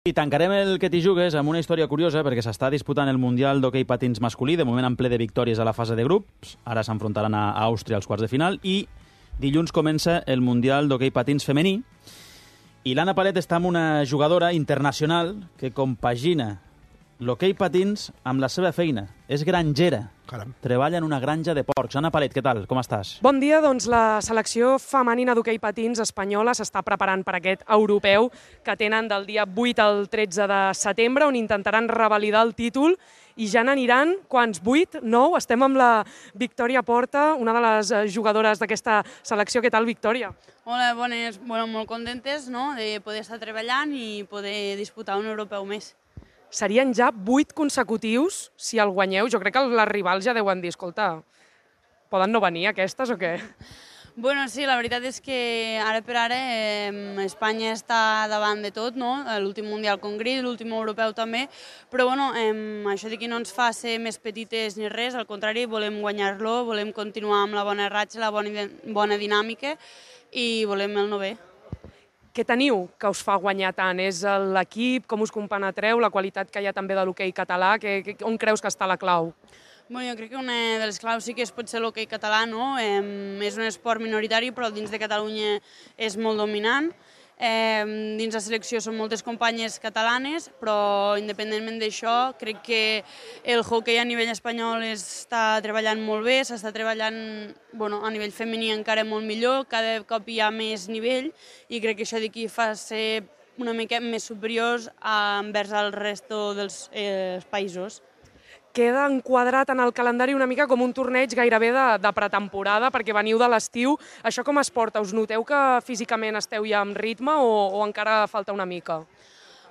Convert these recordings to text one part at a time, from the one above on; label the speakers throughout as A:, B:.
A: I tancarem el que t'hi jugues amb una història curiosa perquè s'està disputant el Mundial d'Hoquei Patins masculí, de moment en ple de victòries a la fase de grups. Ara s'enfrontaran a Àustria als quarts de final i dilluns comença el Mundial d'Hoquei Patins femení. I l'Anna Palet està amb una jugadora internacional que compagina l'hoquei patins amb la seva feina. És grangera.
B: Caram.
A: Treballa en una granja de porcs. Anna Palet, què tal? Com estàs?
C: Bon dia, doncs la selecció femenina d'hoquei patins espanyola s'està preparant per aquest europeu que tenen del dia 8 al 13 de setembre, on intentaran revalidar el títol i ja n'aniran, quants? 8? 9? Estem amb la Victòria Porta, una de les jugadores d'aquesta selecció. Què tal, Victòria?
D: Hola, bones. Bueno, molt contentes, no?, de poder estar treballant i poder disputar un europeu més.
C: Serien ja 8 consecutius si el guanyeu. Jo crec que les rivals ja deuen dir, escolta, poden no venir aquestes o què?
D: Bueno, sí, la veritat és que ara per ara Espanya està davant de tot, no? L'últim Mundial Congrés, l'últim europeu també, però bueno, això d'aquí no ens fa ser més petites ni res, al contrari, volem guanyar-lo, volem continuar amb la bona ratxa, la bona dinàmica i volem el novè.
C: Què teniu que us fa guanyar tant? És l'equip? Com us compenetreu? La qualitat que hi ha també de l'hoquei català? On creus que està la clau?
D: Bueno, jo crec que una de les claus sí que pot ser l'hoquei català, no? És un esport minoritari, però dins de Catalunya és molt dominant. Dins la selecció són moltes companyes catalanes, però independentment d'això, crec que el hoquei a nivell espanyol està treballant molt bé, s'està treballant a nivell femení encara molt millor, cada cop hi ha més nivell i crec que això d'aquí fa ser una mica més superiors envers el resto dels països.
C: Queda enquadrat en el calendari una mica com un torneig gairebé de pretemporada, perquè veniu de l'estiu. Això com es porta? Us noteu que físicament esteu ja amb ritme o encara falta una mica?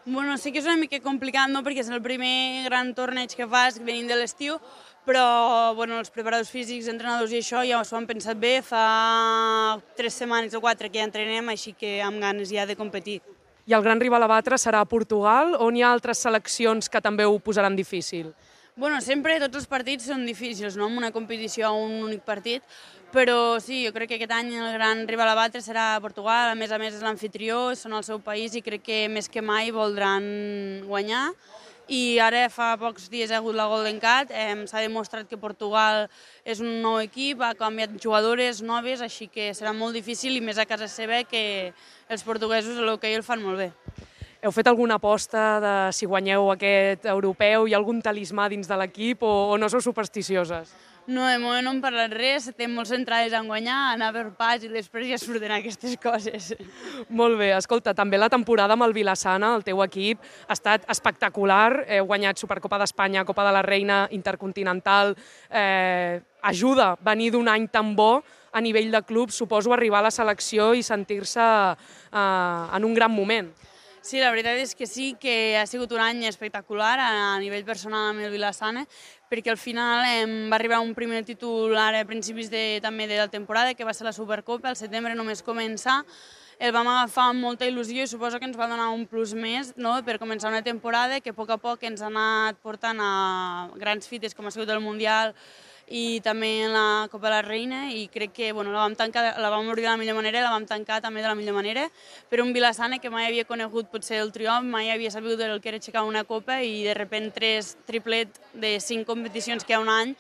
D: Bueno, sí que és una mica complicat, no?, perquè és el primer gran torneig que fas venint de l'estiu, però els preparadors físics, entrenadors i això ja s'ho han pensat bé. Fa 3 setmanes o 4 que ja entrenem, així que amb ganes ja de competir.
C: I el gran rival a batre serà Portugal, on hi ha altres seleccions que també ho posaran difícil?
D: Bueno, sempre tots els partits són difícils, no?, amb una competició a un únic partit, però sí, jo crec que aquest any el gran rival a batre serà Portugal, a més és l'anfitrió, són el seu país i crec que més que mai voldran guanyar. I ara fa pocs dies ha hagut la Golden Cat, s'ha demostrat que Portugal és un nou equip, ha canviat jugadores noves, així que serà molt difícil i més a casa seva que els portuguesos a l'hoquei el fan molt bé.
C: Heu fet alguna aposta de si guanyeu aquest europeu? Hi ha algun talismà dins de l'equip o no sou supersticioses?
D: No, de moment no hem parlat res, estem molt centrades en guanyar, anar per pas i després ja surten aquestes coses.
C: Molt bé, escolta, també la temporada amb el Vila-sana, el teu equip, ha estat espectacular. Heu guanyat Supercopa d'Espanya, Copa de la Reina, Intercontinental. Ajuda venir d'un any tan bo a nivell de club, suposo arribar a la selecció i sentir-se en un gran moment.
D: Sí, la veritat és que sí, que ha sigut un any espectacular a nivell personal amb el Vila-sana, perquè al final va arribar un primer títol ara a principis també de la temporada, que va ser la Supercopa, al setembre només començar. El vam agafar amb molta il·lusió i suposo que ens va donar un plus més, no?, per començar una temporada que a poc ens ha anat portant a grans fites com ha sigut el Mundial i també la Copa de la Reina, i crec que la vam obrir de la millor manera i la vam tancar també de la millor manera. Per un Vila-sana que mai havia conegut potser el triomf, mai havia sabut el que era aixecar una copa i de sobte 3 triplet de 5 competicions que hi ha un any,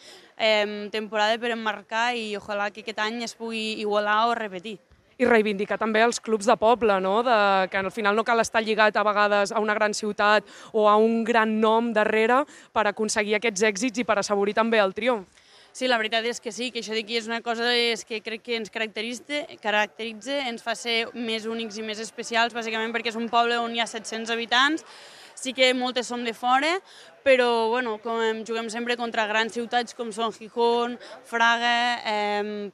D: temporada per emmarcar, i ojalà que aquest any es pugui igualar o repetir.
C: I reivindicar també els clubs de poble, no?, que al final no cal estar lligat a vegades a una gran ciutat o a un gran nom darrere per aconseguir aquests èxits i per assaborir també el triomf.
D: Sí, la veritat és que sí, que això d'aquí és una cosa que crec que ens caracteritza, ens fa ser més únics i més especials, bàsicament perquè és un poble on hi ha 700 habitants, sí que moltes som de fora, però com juguem sempre contra grans ciutats com són Gijón, Fraga,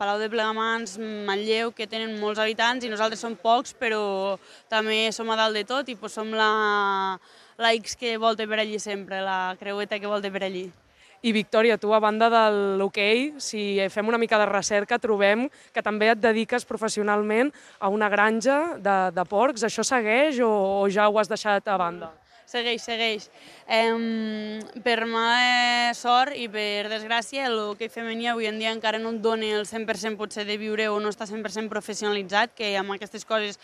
D: Palau de Plegamans, Manlleu, que tenen molts habitants i nosaltres som pocs, però també som a dalt de tot i som la X que volta per allí sempre, la creueta que volta per allí.
C: I Victòria, tu, a banda de l'hoquei, si fem una mica de recerca, trobem que també et dediques professionalment a una granja de porcs. Això segueix o ja ho has deixat a banda?
D: Segueix. Per mala sort i per desgràcia, l'hoquei femení avui en dia encara no et dona el 100% potser de viure o no està 100% professionalitzat, que amb aquestes coses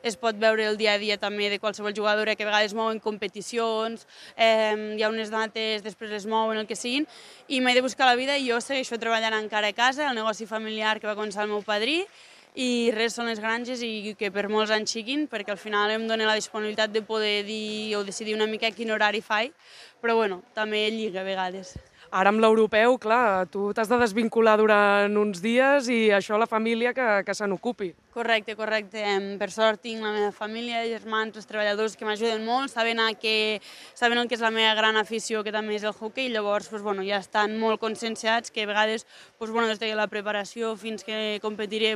D: es pot veure el dia a dia també de qualsevol jugadora, que a vegades mouen competicions, hi ha unes dates, després es mouen, el que siguin, i m'he de buscar la vida i jo segueixo treballant encara a casa, el negoci familiar que va començar el meu padrí, i res són les granges i que per molts anys siguin, perquè al final em dona la disponibilitat de poder dir o decidir una mica quin horari faig, però bueno, també lliga a vegades.
C: Ara amb l'europeu, clar, tu t'has de desvincular durant uns dies i això la família que se n'ocupi.
D: Correcte. Per sort tinc la meva família, germans, els treballadors que m'ajuden molt, saben el que és la meva gran afició, que també és el hoquei, i llavors ja estan molt conscienciats que a vegades des de la preparació fins que competiré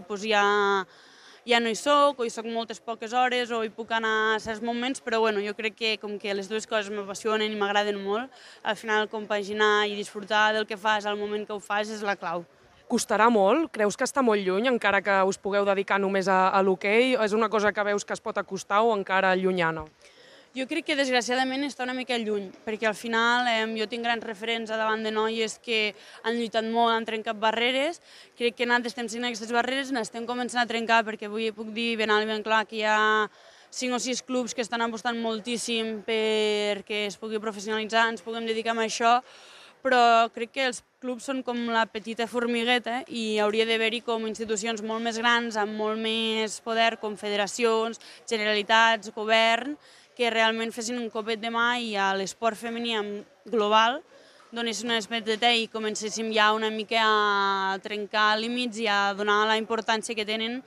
D: ja no hi soc, o hi soc moltes poques hores, o hi puc anar a certs moments, però jo crec que com que les dues coses m'apassionen i m'agraden molt, al final compaginar i disfrutar del que fas al moment que ho fas és la clau.
C: Costarà molt? Creus que està molt lluny, encara que us pugueu dedicar només a l'hoquei? És una cosa que veus que es pot acostar o encara llunyana?
D: Jo crec que desgraciadament està una mica lluny, perquè al final jo tinc grans referents a davant de noies que han lluitat molt, han trencat barreres. Crec que nosaltres estem sent aquestes barreres, n'estem començant a trencar, perquè avui puc dir ben alt i ben clar que hi ha 5 o 6 clubs que estan apostant moltíssim perquè es pugui professionalitzar, ens puguem dedicar a això, però crec que els clubs són com la petita formigueta i hauria d'haver-hi com institucions molt més grans, amb molt més poder, com federacions, generalitats, govern, que realment fessin un copet de mà i a l'esport femení global donessin un espeteta i comencéssim ja una mica a trencar límits i a donar la importància que tenen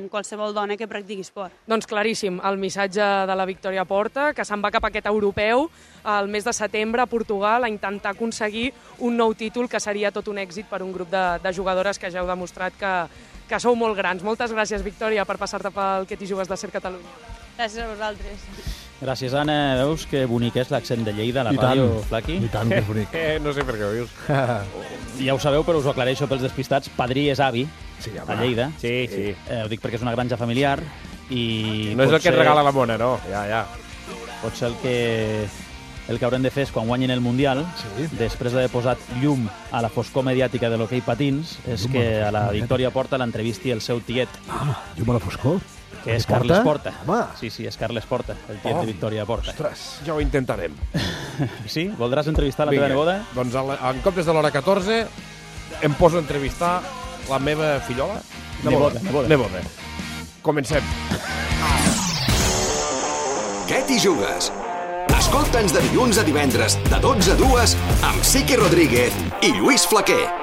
D: qualsevol dona que practiqui esport.
C: Doncs claríssim, el missatge de la Victòria Porta, que se'n va cap a aquest europeu el mes de setembre a Portugal a intentar aconseguir un nou títol que seria tot un èxit per un grup de jugadores que ja heu demostrat que sou molt grans. Moltes gràcies, Victòria, per passar-te pel Que t'hi jugues de Ser Catalunya.
D: Gràcies a vosaltres.
A: Gràcies, Anna. Veus que bonic és l'accent de Lleida, la ràdio, Flaqui?
B: I tant, que és bonic.
E: No sé per què ho dius.
A: Ja ho sabeu, però us ho aclareixo pels despistats. Padrí és avi, a Lleida.
E: Sí.
A: Ho dic perquè és una granja familiar i...
E: No és el que et regala la mona, no? Ja.
A: Potser el que haurem de fer és, quan guanyin el Mundial, després d'haver posat llum a la foscor mediàtica de l'hoquei patins, és que a la Victòria Porta l'entrevisti el seu tiet.
B: Llum a la foscor?
A: Que és Carles Porta.
B: Home.
A: Sí, és Carles Porta, el tiet de Victòria Porta.
B: Ostres.
E: Ja ho intentarem.
A: Sí? Voldràs entrevistar la teva neboda?
E: Doncs en comptes de l'hora 14 em poso a entrevistar la meva fillola? Neboda. Comencem.
F: Què t'hi jugues? Escolta'ns de dilluns a divendres, de 12 a 2, amb Sique Rodríguez i Lluís Flaquer.